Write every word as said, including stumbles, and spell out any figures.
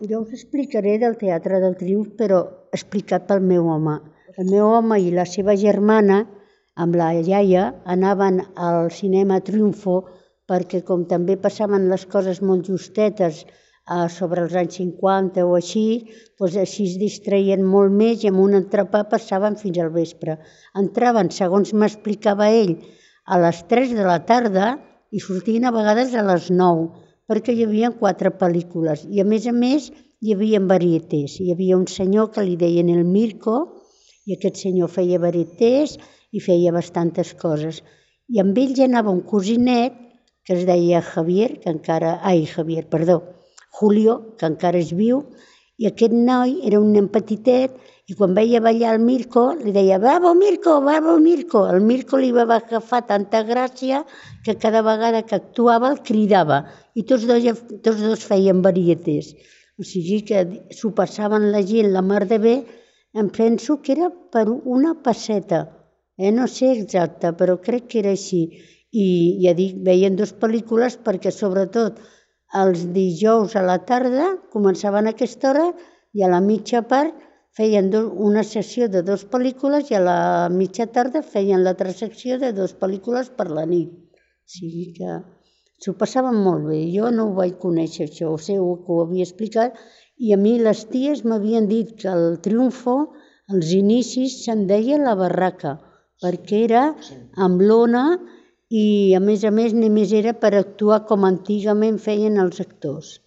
jo us explicaré del Teatre del Triomf, però explicat pel meu home. El meu home i la seva germana, amb la iaia, anaven al cinema Triunfo perquè com també passaven les coses molt justetes sobre els anys cinquanta o així, doncs així es distreien molt més i amb un entrepà passaven fins al vespre. Entraven, segons m'explicava ell, a les tres de la tarda i sortien a vegades a les nou, perquè hi havia quatre pel·lícules i a més a més hi havia varietés. Hi havia un senyor que li deien el Mirko i aquest senyor feia varietés i feia bastantes coses. I amb ell ja anava un cosinet que es deia Javier, que encara... Ai, Javier, perdó, Julio, que encara és viu, i aquest noi era un nen petitet i quan veia ballar el Mirko li deia «Bravo, Mirko, bravo, Mirko». El Mirko li va agafar tanta gràcia que cada vegada que actuava el cridava i tots dos, tots dos feien varietés. O sigui que s'ho passaven la gent la mar de bé, em penso que era per una pesseta, eh? No sé exacte, però crec que era així. I ja dic, veien dues pel·lícules perquè sobretot els dijous a la tarda començaven a aquesta hora i a la mitja part feien una sessió de dues pel·lícules i a la mitja tarda feien l'altra secció de dues pel·lícules per la nit. O sigui que s'ho passaven molt bé. Jo no ho vaig conèixer això, o sigui, que ho havia explicat i a mi les ties m'havien dit que el Triunfo, als inicis se'n deia la barraca, perquè era amb lona i a més a més només era per actuar com antigament feien els actors.